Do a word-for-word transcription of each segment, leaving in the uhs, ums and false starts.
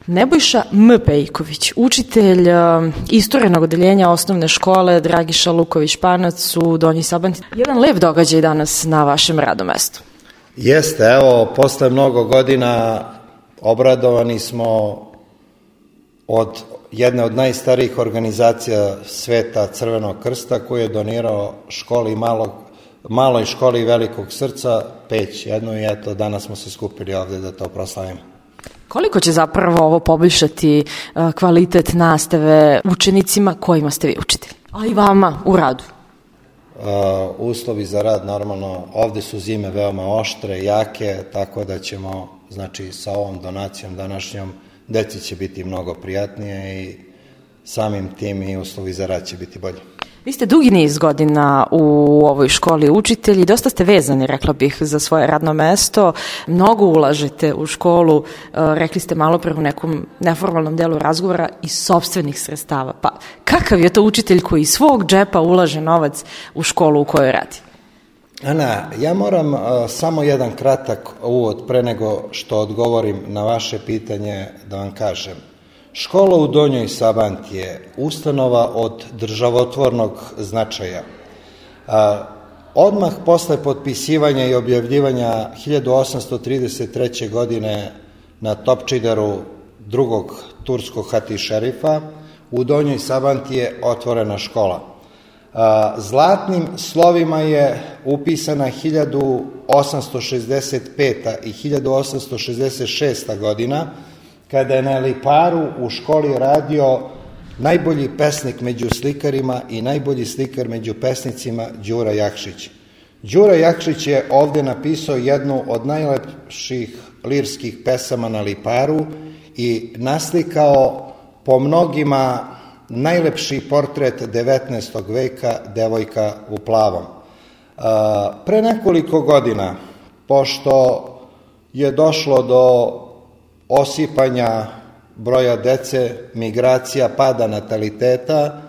Nebojša M. Pejković, učitelj istorijnog odeljenja osnovne škole Dragiša Luković-Panac u Donjoj Sabanti. Jedan lep događaj danas na vašem radnom mestu. Jeste, evo, posle mnogo godina obradovani smo od jedne od najstarijih organizacija sveta, Crvenog krsta, koji je donirao školi malog, maloj školi Velikog srca, Peć jednu, i eto, danas smo se skupili ovde da to proslavimo. Koliko će zapravo ovo poboljšati kvalitet nastave učenicima kojima ste vi učitelji, a i vama u radu? Uh, uslovi za rad, normalno, ovde su zime veoma oštre, jake, tako da ćemo, znači, sa ovom donacijom današnjom, deci će biti mnogo prijatnije i samim tim i uslovi za rad će biti bolji. Vi ste dugi niz godina u ovoj školi učitelji, dosta ste vezani, rekla bih, za svoje radno mesto, mnogo ulažete u školu, rekli ste malo pre u nekom neformalnom delu razgovora, iz sopstvenih sredstava. Pa kakav je to učitelj koji iz svog džepa ulaže novac u školu u kojoj radi? Ana, ja moram uh, samo jedan kratak uvod pre nego što odgovorim na vaše pitanje da vam kažem. Škola u Donjoj Sabanti je ustanova od državotvornog značaja. A, odmah posle potpisivanja i objavljivanja hiljadu osamsto trideset treće. godine na Topčideru drugog turskog hati šerifa, u Donjoj Sabanti je otvorena škola. A, zlatnim slovima je upisana hiljadu osamsto šezdeset peta. i hiljadu osamsto šezdeset šesta. godina, kada je na Liparu u školi radio najbolji pesnik među slikarima i najbolji slikar među pesnicima Đura Jakšić. Đura Jakšić je ovde napisao jednu od najlepših lirskih pesama na Liparu i naslikao po mnogima najlepši portret devetnaestog veka, devojka u plavom. Pre nekoliko godina, pošto je došlo do osipanja broja dece, migracija, pada nataliteta,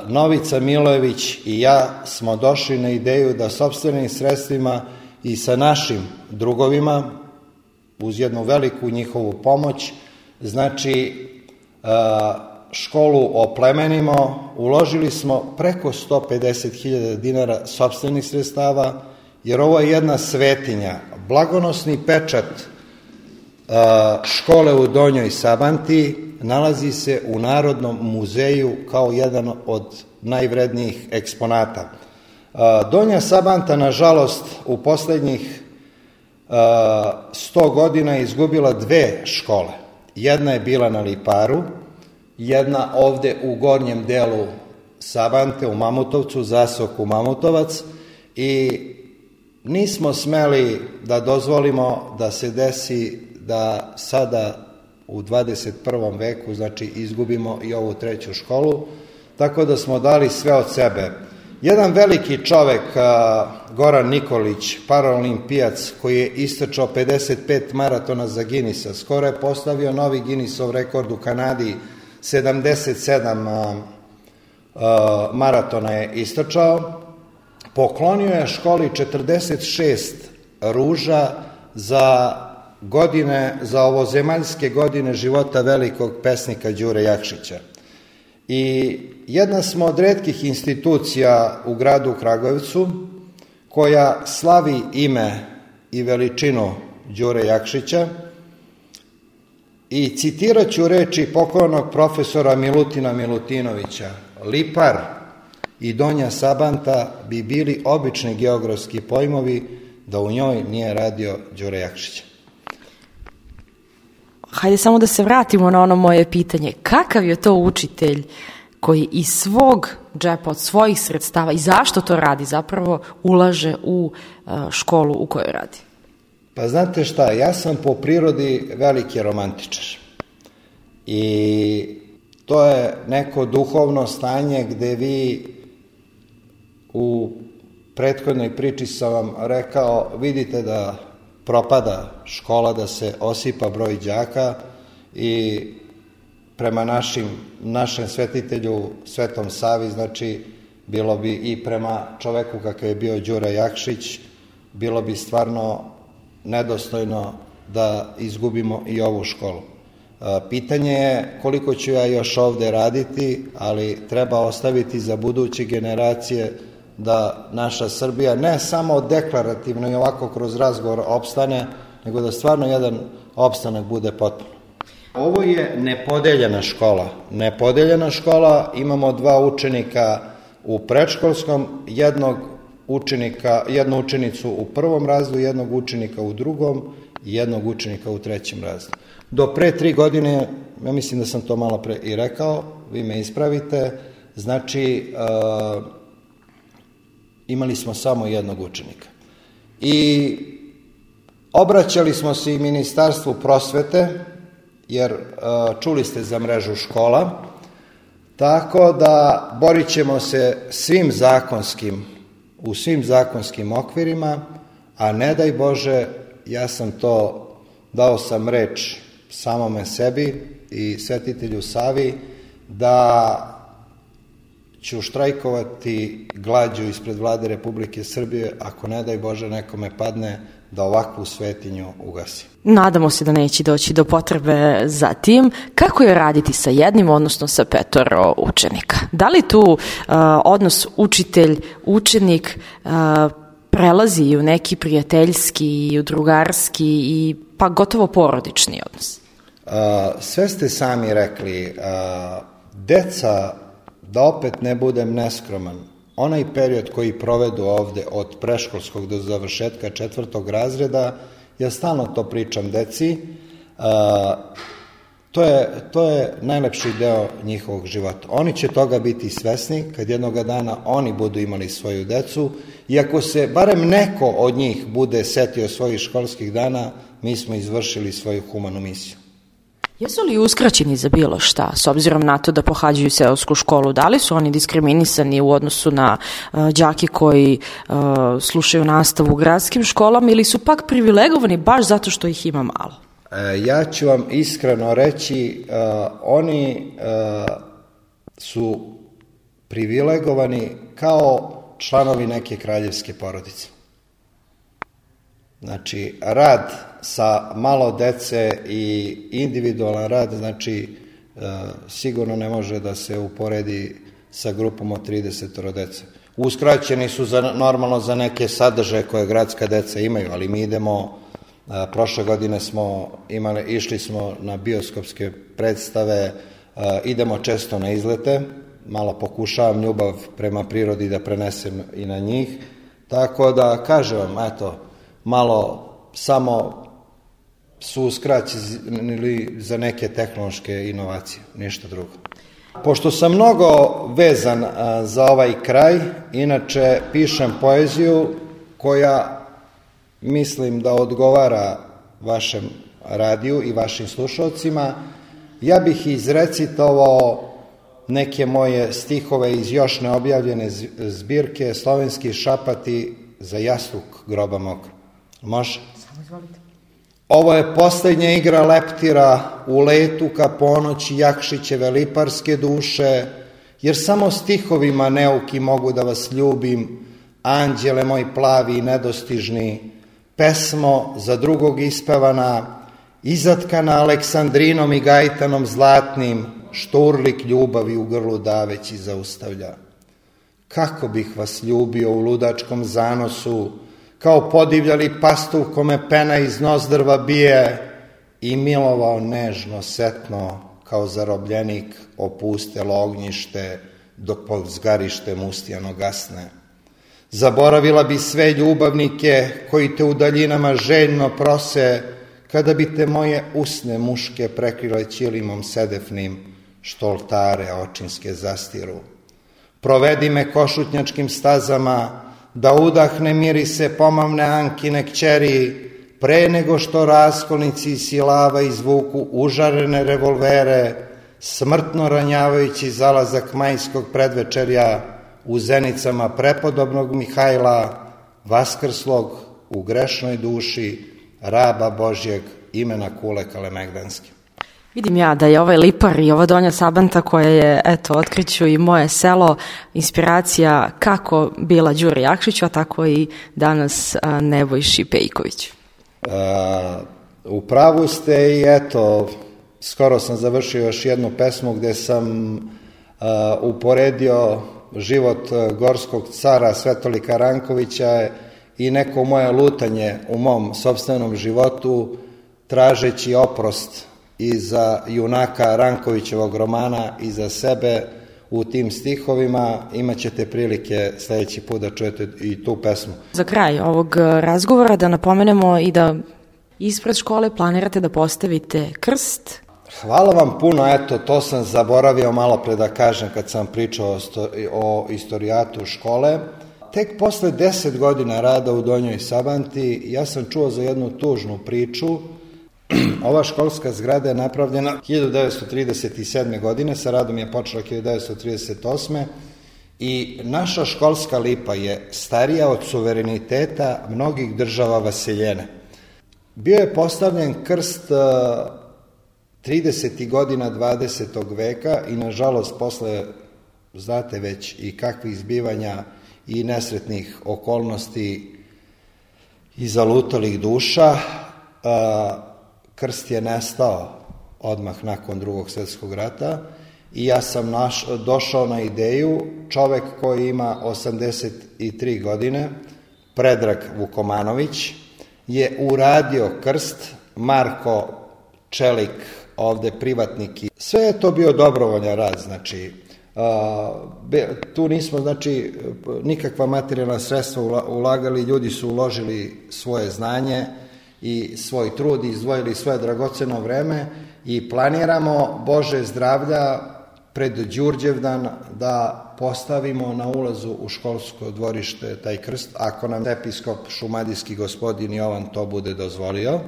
Novica Milojević i ja smo došli na ideju da sopstvenim sredstvima i sa našim drugovima, uz jednu veliku njihovu pomoć, znači školu oplemenimo. Uložili smo preko sto pedeset hiljada dinara sopstvenih sredstava, jer ovo je jedna svetinja. Blagonosni pečat škole u Donjoj Sabanti nalazi se u Narodnom muzeju kao jedan od najvrednijih eksponata. Donja Sabanta, nažalost, u poslednjih sto godina je izgubila dve škole. Jedna je bila na Liparu, jedna ovde u gornjem delu Sabante, u Mamutovcu, zaseoku Mamutovac, i nismo smeli da dozvolimo da se desi da sada u dvadeset prvom veku, znači, izgubimo i ovu treću školu, tako da smo dali sve od sebe. Jedan veliki čovek, Goran Nikolić, paraolimpijac, koji je istrčao pedeset pet maratona za Ginisa, skoro je postavio novi Ginisov rekord u Kanadi, sedamdeset sedam maratona je istrčao, poklonio je školi četrdeset šest ruža za godine, za ovozemaljske godine života velikog pesnika Đure Jakšića. I jedna smo od retkih institucija u gradu Kragujevcu koja slavi ime i veličinu Đure Jakšića, i citirat ću reči pokojnog profesora Milutina Milutinovića: Lipar i Donja Sabanta bi bili obični geografski pojmovi da u njoj nije radio Đure Jakšića. Hajde samo da se vratimo na ono moje pitanje. Kakav je to učitelj koji iz svog džepa, od svojih sredstava, i zašto to radi, zapravo ulaže u školu u kojoj radi? Pa znate šta, ja sam po prirodi veliki romantičar. I to je neko duhovno stanje gde vi, u prethodnoj priči sam vam rekao, vidite da propada škola, da se osipa broj đaka, i prema našim, našem svetitelju Svetom Savi, znači, bilo bi i prema čoveku kakav je bio Đura Jakšić, bilo bi stvarno nedostojno da izgubimo i ovu školu. Pitanje je koliko ću ja još ovde raditi, ali treba ostaviti za buduće generacije da naša Srbija ne samo deklarativno i ovako kroz razgovor opstane, nego da stvarno jedan opstanak bude potpuno. Ovo je nepodeljena škola. Nepodeljena škola, imamo dva učenika u predškolskom, jednog učenika, jednu učenicu u prvom razredu, jednog učenika u drugom i jednog učenika u trećem razredu. Do pre tri godine, ja mislim da sam to malo pre i rekao, vi me ispravite, znači uh, imali smo samo jednog učenika. I obraćali smo se i Ministarstvu prosvete, jer uh, čuli ste za mrežu škola, tako da borit ćemo se svim zakonskim, u svim zakonskim okvirima, a ne daj Bože, ja sam to, dao sam reč samome sebi i Svetitelju Savi, da ću štrajkovati glađu ispred Vlade Republike Srbije, ako ne daj Bože nekome padne, da ovakvu svetinju ugasi. Nadamo se da neće doći do potrebe za tim. Kako je raditi sa jednim, odnosno sa petoro učenika? Da li tu uh, odnos učitelj-učenik uh, prelazi i u neki prijateljski i u drugarski i pa gotovo porodični odnos? Uh, sve ste sami rekli. Uh, deca, da opet ne budem neskroman, onaj period koji provedu ovde od preškolskog do završetka četvrtog razreda, ja stalno to pričam deci, uh, to je, to je najlepši deo njihovog života. Oni će toga biti svesni kad jednoga dana oni budu imali svoju decu i ako se barem neko od njih bude setio svojih školskih dana, mi smo izvršili svoju humanu misiju. Jesu li uskraćeni za bilo šta, s obzirom na to da pohađaju seosku školu? Da li su oni diskriminisani u odnosu na uh, đake koji uh, slušaju nastavu u gradskim školama ili su pak privilegovani baš zato što ih ima malo? E, ja ću vam iskreno reći, uh, oni uh, su privilegovani kao članovi neke kraljevske porodice. Znači, rad sa malo dece i individualan rad, znači, e, sigurno ne može da se uporedi sa grupom od trideset dece. Uskraćeni su za, normalno za neke sadržaje koje gradska deca imaju, ali mi idemo, e, prošle godine smo imali, išli smo na bioskopske predstave, e, idemo često na izlete, malo pokušavam ljubav prema prirodi da prenesem i na njih, tako da kažem vam, eto, malo samo su uskraćeni za neke tehnološke inovacije, ništa drugo. Pošto sam mnogo vezan a, za ovaj kraj, inače pišem poeziju koja mislim da odgovara vašem radiju i vašim slušalcima, ja bih izrecitovao neke moje stihove iz još neobjavljene zbirke Slovenski šapati za jastuk groba mog. Može? Samo izvolite. Ovo je poslednja igra leptira u letu ka ponoći Jakšićeve liparske duše, jer samo stihovima neuki mogu da vas ljubim, anđele moj plavi i nedostižni, pesmo za drugog ispevana, izatkana Aleksandrinom i gajtanom zlatnim, što urlik ljubavi u grlu daveći zaustavlja. Kako bih vas ljubio u ludačkom zanosu, kao podivljali pastuh kome pena iz nozdrva bije i milovao nežno, setno, kao zarobljenik opustelo ognjište dok pod zgarištem ustijano gasne. Zaboravila bi sve ljubavnike koji te u daljinama željno prose, kada bi te moje usne muške prekrile ćilimom sedefnim, što oltare očinske zastiru. Provedi me košutnjačkim stazama, da udahne mirise pomavne Ankine kćeri, pre nego što raskolnici silava izvuku užarene revolvere, smrtno ranjavajući zalazak majskog predvečerja u zenicama prepodobnog Mihajla, vaskrslog u grešnoj duši raba Božjeg imena Kule Kalemegdanske. Vidim ja da je ovaj Lipar i ova Donja Sabanta koja je, eto, otkriću i moje selo, inspiracija kako bila Đuri Jakšiću, a tako i danas a, Nebojši Pejkoviću. Uh, u pravu ste i eto, skoro sam završio još jednu pesmu gde sam uh, uporedio život gorskog cara Svetolika Rankovića i neko moje lutanje u mom sopstvenom životu, tražeći oprost i za junaka Rankovićevog romana i za sebe u tim stihovima. Imat ćete prilike sledeći put da čujete i tu pesmu. Za kraj ovog razgovora da napomenemo i da ispred škole planirate da postavite krst. Hvala vam puno, eto, to sam zaboravio malo pre da kažem kad sam pričao o, sto, o istorijatu škole. Tek posle deset godina rada u Donjoj Sabanti ja sam čuo za jednu tužnu priču. Ova školska zgrada je napravljena hiljadu devetsto trideset sedme. godine, sa radom je počela hiljadu devetsto trideset osme. i naša školska lipa je starija od suvereniteta mnogih država vaseljene. Bio je postavljen krst tridesetih godina dvadesetog veka i nažalost posle, znate već i kakvih zbivanja i nesretnih okolnosti i zalutalih duša, krst je nestao odmah nakon drugog svjetskog rata i ja sam naš, došao na ideju, čovek koji ima osamdeset tri godine, Predrag Vukomanović, je uradio krst, Marko Čelik, ovde privatnik. Sve je to bio dobrovoljan rad, znači, tu nismo, znači, nikakva materijalna sredstva ulagali, ljudi su uložili svoje znanje i svoj trud, izdvojili svoje dragoceno vreme i planiramo, Bože zdravlja, pred Đurđevdan da postavimo na ulazu u školsko dvorište taj krst, ako nam episkop šumadijski gospodin Jovan to bude dozvolio,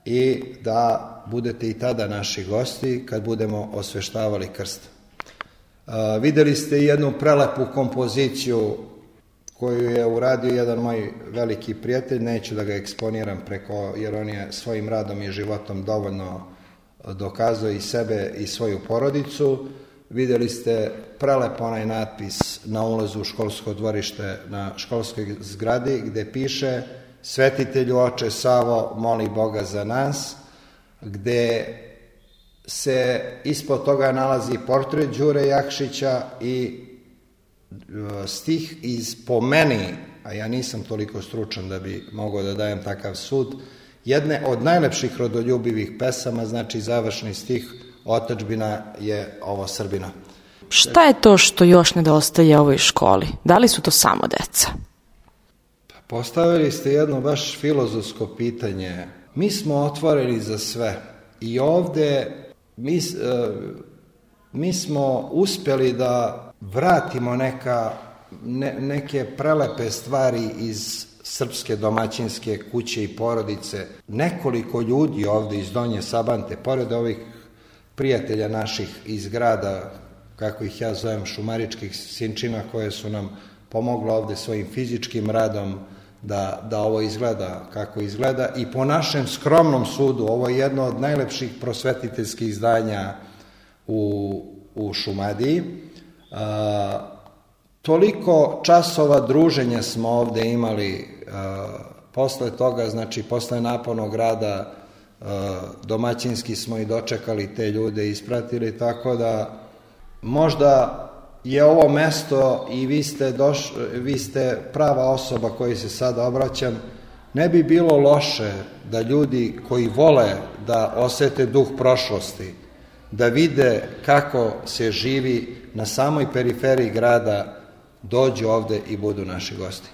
i da budete i tada naši gosti kad budemo osveštavali krst. Uh, videli ste jednu prelepu kompoziciju koju je uradio jedan moj veliki prijatelj, neću da ga eksponiram preko, jer on je svojim radom i životom dovoljno dokazao i sebe i svoju porodicu. Videli ste prelep onaj natpis na ulazu u školsko dvorište na školskoj zgradi gde piše: Svetitelju oče Savo, moli Boga za nas, gde se ispod toga nalazi portret Đure Jakšića i stih iz, po meni, a ja nisam toliko stručan da bi mogao da dajem takav sud, jedne od najlepših rodoljubivih pesama, znači završni stih: Otadžbina je ovo Srbina. Šta je to što još nedostaje ovoj školi? Da li su to samo deca? Postavili ste jedno baš filozofsko pitanje. Mi smo otvoreni za sve i ovde mi, mi smo uspeli da vratimo neka, ne, neke prelepe stvari iz srpske domaćinske kuće i porodice. Nekoliko ljudi ovde iz Donje Sabante, pored ovih prijatelja naših iz grada, kako ih ja zovem, šumaričkih sinčina, koje su nam pomogli ovde svojim fizičkim radom da, da ovo izgleda kako izgleda, i po našem skromnom sudu ovo je jedno od najlepših prosvetiteljskih zdanja u, u Šumadiji. A, toliko časova druženja smo ovde imali, a, posle toga, znači posle napornog rada, a, domaćinski smo i dočekali te ljude i ispratili, tako da možda je ovo mesto i vi ste, doš, vi ste prava osoba koji se sada obraćam, ne bi bilo loše da ljudi koji vole da osete duh prošlosti, da vide kako se živi na samoj periferiji grada, dođu ovde i budu naši gosti.